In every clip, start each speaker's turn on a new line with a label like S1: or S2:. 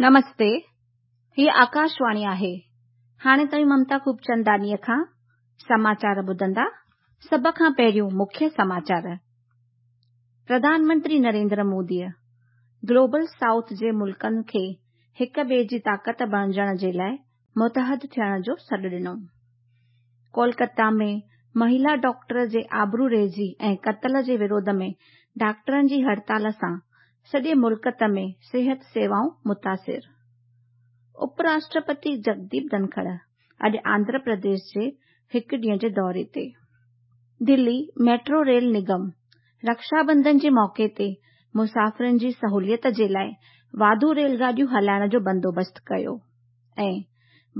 S1: نمستي، هيء آڪاشواڻي آهي. هاڻي توهين ممتا خوبچنداڻيء کان سماچار ٻڌندا. سڀ کان پهريون مکيه سماچار. پرڌان منتري نريندر موديء گلوبل سائوٿ جي ملڪن کي هڪ ٻئي جي طاقت بڻجڻ جي لاء متحد ٿيڻ جو سڏ ڏنو. ڪولڪتا ۾ مهيلا ڊاڪٽر جي آبرو ريزي ۽ قتل جي وروڌ ۾ ڊاڪٽرن جي هڙتال سان سڄي ملڪ ۾ صحت سيوائون متاثر. اپ راشٽرپتي جگديپ ڌنکڙ اڄ آنڌرا پرديش جي هڪ ڏينهن جي دوري تي. دلي ميٽرو ريل نگم رڪشا بنڌن جي موقعي تي مسافرن جي سهوليت جي لاء واڌو ريل گاڏيون هلائڻ جو بندوبست ڪيو ۽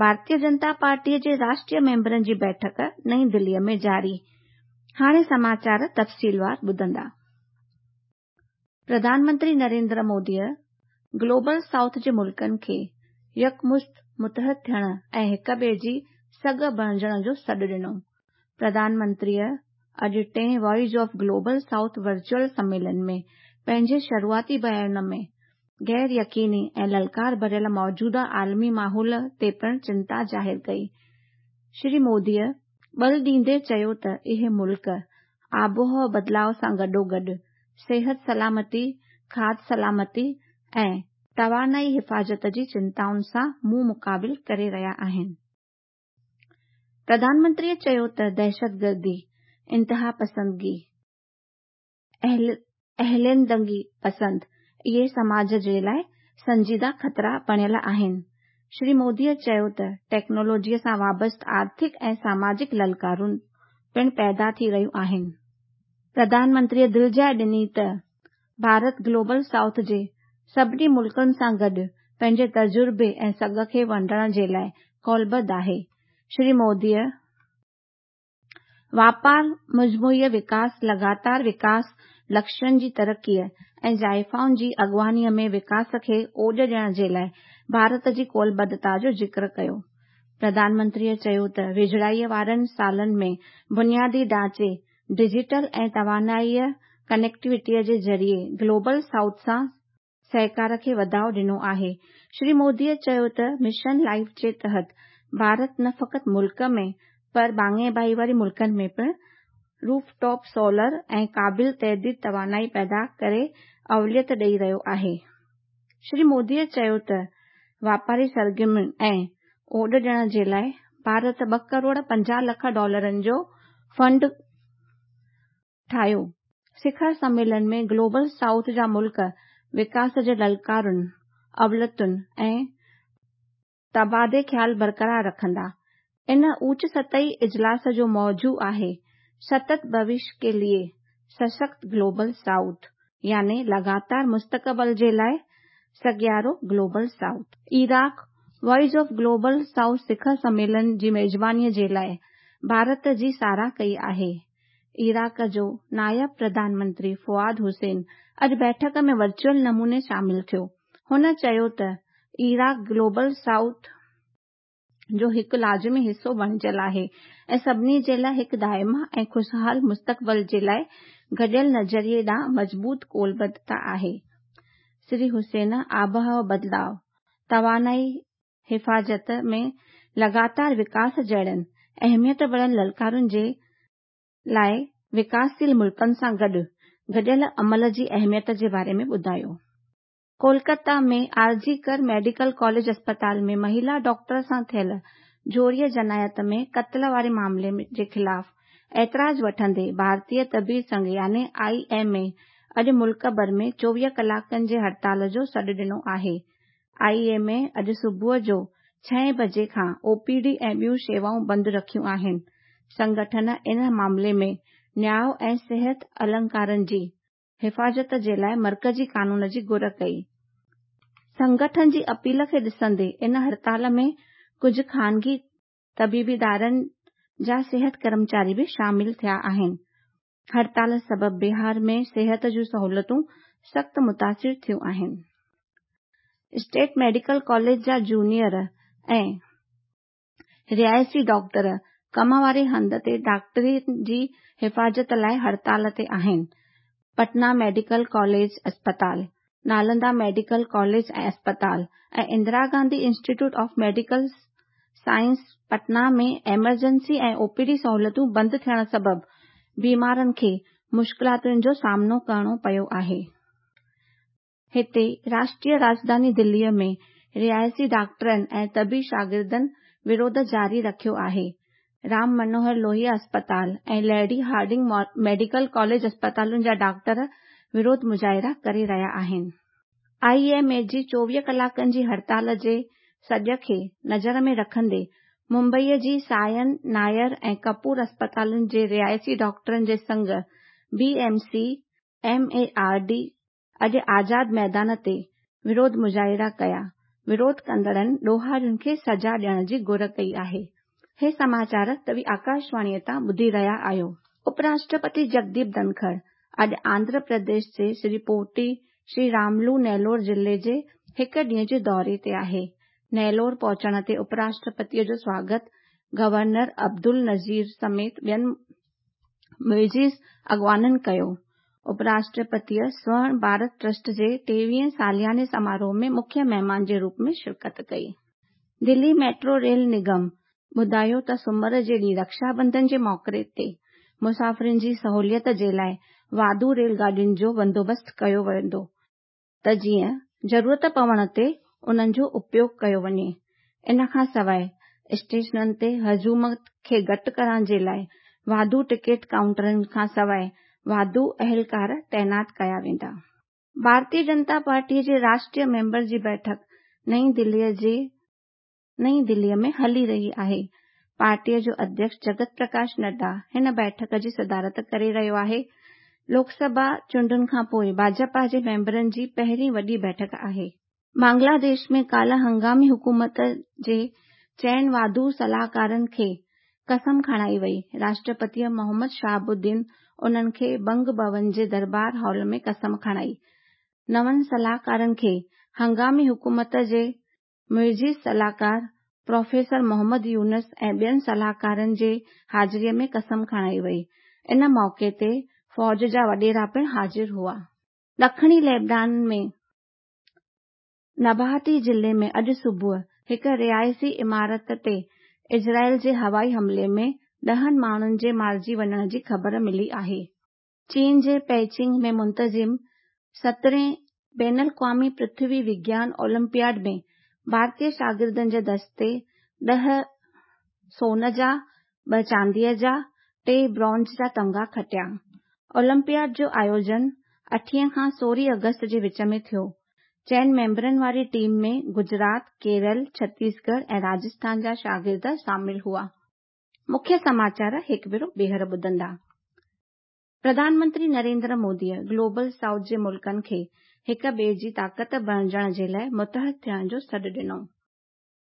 S1: ڀارتيه جنتا پارٽيء جي راشٽريه ميمبرن جي بيٺڪ نئين دليء ۾ جاري. هاڻي سماچار تفصيلوار ٻڌندا. پرڌان منتري نريندر موديء گلوبل سائوٿ جي ملڪن کي يڪمشت متحد ٿيڻ ۽ هڪ ٻئي جي سگهه بڻجڻ جو سڏ ڏنو. پرڌان منتريء اڄ ٽئين voice of global south virtual سميلن ۾ پنهنجي شروعاتي بيان ۾ غير يقيني ۽ للڪار ڀريل موجوده عالمي ماحول تي پڻ چنتا ظاهر ڪئي. شري موديء ٻل ڏيندي چيو ته اهي ملڪ آبهوا بدلاء سان گڏوگڏ صحت سلامتي، کاڌ سلامتي ۽ توانائي حفاظت جي چنتائن سان منهن مقابل ڪري رهيا آهن. پرڌان منتريء چيو ته دهشتگردي، انتهاپسندي، عليحدگي پسند اهي سماج جي لاء سنجيده خطرا بڻيل آهن. شري موديء چيو ته ٽيڪنالاجيء سان وابسته آرٿڪ ۽ ساماجڪ للڪارون پڻ پيدا ٿي رهيون آهن. پرڌان منتريء دلجاء ڏني ته ڀارت گلوبل سائوٿ جي سڀني ملڪن سان گڏ پنهنجي تجربي ۽ سگهه کي ونڊڻ جي لاء قولبڌ آهي. شري موديء واپار، مجموعي وڪاس، لڳاتار وڪاس لڪشين جي ترقيء ۽ زائفائن جي اڳواڻيء ۾ وڪاس کي اوڄ ڏيڻ جي لاء ڀارت جي قولبڌتا جو ذڪر ڪيو. پرڌان منتريء چيو ته ويجهڙائيء وارن سالن ۾ بنيادي ڍانچي، ڊجيٽل ۽ توانائيء ڪنيڪٽيوٽيء جي ذريعي گلوبل سائوٿ سان سهڪار کي وڌاء ڏنو آهي. شري موديء چيو ته مشن لائيف جي تحت ڀارت نه فقط ملڪ ۾ پر ڀاڱي ڀائيواري ملڪن ۾ پڻ روف ٽاپ سولر ۽ قابل تجديد توانائي پيدا ڪري اوليت ڏئي رهيو آهي. شري موديء چيو ته واپاري سرگرمين ۽ اوڏ ڏيڻ جي لاء ڀارت ٻه ڪروڙ 50 لک ڊالرن جو فنڊ ٺاهيو. سکر سميلن ۾ گلوبل سائوٿ جا ملڪ وڪاس جي للڪارن، اوليتن ۽ تبادلي خيال برقرار رکندا. ان اوچ سطحي اجلاس جو موضوع آهي ستت ڀوشيه ڪي ليي سشڪت گلوبل سائوٿ يعني لڳاتار مستقبل جي لاء سگهارو global south. Iraq voice of global south Sukkur سميلن جي ميزبانيء جي لاء ڀارت جي ساراهه ڪئي آهي. عراق جو نائب پرڌان منتري فواد حسين اڄ بيٺڪ ۾ ورچوئل نموني شامل ٿيو. هن چيو ته عراق گلوبل سائوٿ جو هڪ لازمي حصو بڻجيل آهي ۽ سڀني جي لاء هڪ دائمي ۽ خوشحال مستقبل جي لاء گڏيل نظريي ڏانهن مضبوط قولبڌتا آهي. شري حسين آبهوا بدلاء، توانائي حفاظت ۾ لڳاتار وڪاس جهڙن اهميت ڀريل للڪارن جي لاء وڪاسشيل ملڪن سان گڏ گڏيل عمل جي اهميت جي باري ۾ ٻڌايو. ڪولڪتا ۾ آر جي ڪر ميڊيڪل ڪاليج اسپتال ۾ مهيلا ڊاڪٽر سان ٿيل زوريء جنايت ۾ قتل واري معاملي جي خلاف اعتراض وٺندي ڀارتيه طبي سنگهه يعني I M اي اڄ ملڪ ڀر ۾ 24 ڪلاڪن جي هڙتال جو سڏ ڏنو آهي. I M اي اڄ صبح جو ڇهين بجي کان او پي ڊي ۽ ٻيون شيوائون بند رکيون آهن. سنگٺن ان معاملي ۾ نياء ۽ صحت اهلڪارن جي حفاظت جي لاء مرڪزي قانون جي گهر ڪئي. سنگٺن جي اپيل کي ڏسندي ان هڙتال ۾ ڪجهه خانگي طبيبي ادارن جا صحت ڪرمچاري به شامل ٿيا آهن. هڙتال سبب بهار ۾ صحت جون سهولتون سخت متاثر ٿيون آهن. اسٽيٽ ميڊيڪل ڪاليج جا جونيئر ۽ رهائشي ڊاڪٽر ڪم واري هنڌ تي ڊاڪٽرن جي حفاظت لاء هڙتال تي آهن. پٽنا ميڊيڪل ڪاليج اسپتال. نالندا ميڊيڪل ڪاليج ۽ اسپتال ۽ Indira Gandhi institute of medical science Patna ۾ emergency ۽ O P D سهولتون بند ٿيڻ سبب بيمارن کي مشڪلاتن جو سامنو ڪرڻو پيو آهي. هتي راشٽريه راڄڌاني دليء ۾ رهائشي ڊاڪٽرن ۽ طبي شاگردن وروڌ جاري رکيو آهي. رام منوهر لوهيا اسپتال ۽ ليڊي هارڊنگ ميڊيڪل ڪاليج اسپتالن جا ڊاڪٽر وروڌ مظاهرا ڪري رهيا آهن. I M اي جي 24 ڪلاڪن جي هڙتال جي سڏ کي نظر ۾ رکندي ممبئيء جي سائن، نائر ۽ ڪپور اسپتالن جي رهائشي ڊاڪٽرن جي Singh, B M C, M A R D, اڄ آزاد ميدان تي وروڌ مظاهرا ڪيا. وروڌ ڪندڙن ڏوهارين کي سزا ڏيڻ جي گهر ڪئي آهي. هي سماچار توهين آڪاشواڻيء تان ٻڌي رهيا آهيو. اپراشٽرپتي جگديپ ڌنکڙ اڄ آنڌرا پرديش جي شري پوٽي شري راملو نيلور ضلعي جي هڪ ڏينهن جي دوري تي آهي. نيلور پهچڻ تي اپراشٽرپتيء جو سواگت گورنر عبدالنذير سميت ٻين معزز اڳواڻن ڪيو. اپراشٽرپتيء سورڻ ڀارت ٽرسٽ جي ٽيويهين سالياني سماروهه ۾ مکيه مهمان جي روپ ۾ شرڪت ڪئي. دلي ميٽرو ريل نگم ٻڌايو ته سومر جي ڏينهن رڪشا بنڌن جي موقعي تي مسافرن جي سهوليت جي لاء واڌو ريل گاڏين جو بندوبست ڪيو ويندو ته جيئن ضرورت پوڻ تي انهن جو اپيوگ ڪيو وڃي. ان کان سواء اسٽيشنن تي هجوم کي گهٽ ڪرڻ جي لاء واڌو ٽڪيٽ ڪائونٽرن کان سواء واڌو اهلڪار تعينات ڪيا ويندا. ڀارتيه جنتا پارٽيء جي راشٽريه ميمبر جي بيٺڪ نئين دليء جي نئين دليء ۾ هلي رهي آهي. پارٽيء جو اڌيڪش جگت پرڪاش نڊا هن بيٺڪ جي صدارت ڪري رهيو آهي. لوڪ سڀا چونڊن کانپوء ڀاجپا جي ميمبرن جي پهرين وڏي بيٺڪ آهي. بنگلاديش ۾ ڪالهه هنگامي حڪومت جي چئن واڌو صلاحڪارن کي قسم کڻائي وئي. راشٽرپتيء محمد شهاب الدين انهن کي بنگ ڀون جي دربار هال ۾ قسم کڻائي. نون صلاحڪارن کي هنگامي حڪومت جي معزز صلاحڪار پروفيسر محمد يونس ۽ ٻين صلاحڪارن جي حاضريء ۾ قسم کڻائي وئي. ان موقعي تي فوج جا وڏيرا پڻ حاضر هئا. ڏکڻي ليبنان ۾ نباهتي ضلعي ۾ اڄ صبح هڪ رهائشي عمارت تي اسرائيل جي هوائي حملي ۾ ڏهن ماڻهن جي مارجي وڃڻ جي خبر ملي آهي. چين جي پيچنگ ۾ منتظم سترهين بين الاقوامي پرٿوي وگيان اولمپياڊ ۾ ڀارتي شاگردن جي دستي ڏهه سون جا، ٻه چانديء جا، ٽي برونز جا تمغا کٽيا. اولمپياڊ جو آيوجن اٺين کان سورهين آگسٽ جي وچ ۾ ٿيو. چئن ميمبرن واري ٽيم ۾ گجرات، ڪيرل، ڇتيسڳڙهه ۽ راجسٿان جا شاگرد شامل هئا. مکيه سماچار هڪ ڀيرو ٻيهر ٻڌندا. پرڌان منتري نريندر موديء گلوبل سائوٿ جي ملڪن کي هڪ ٻئي جي طاقت بڻجڻ جي لاء متحد ٿيڻ جو سڏ ڏنو.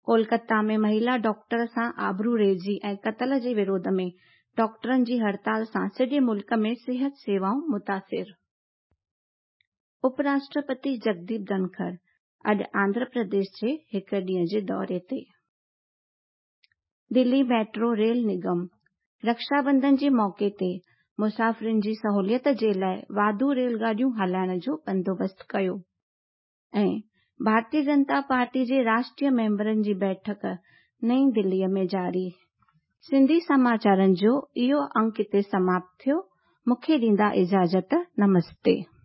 S1: ڪولڪتا ۾ مهيلا ڊاڪٽر سان آبرو ريزي ۽ قتل جي وروڌ ۾ ڊاڪٽرن جي هڙتال سان سڄي ملڪ ۾ صحت سيوائون متاثر. اپ راشٽرپتي جگديپ ڌنکڙ اڄ آنڌرا پرديش جي هڪ ڏينهن جي دوري تي. دلي ميٽرو ريل نگم رڪشا بنڌن جي موقعي تي مسافرن جي سهوليت جي لاء واڌو ريل گاڏيون هلائڻ جو بندوبست ڪيو ۽ ڀارتيه جنتا پارٽي جي راشٽريه ميمبرن جي بيٺڪ نئين دليء ۾ جاري. سنڌي سماچارن جو اهو انڪ هتي سماپت ٿيو. مون کي ڏيندا اجازت. نمستي.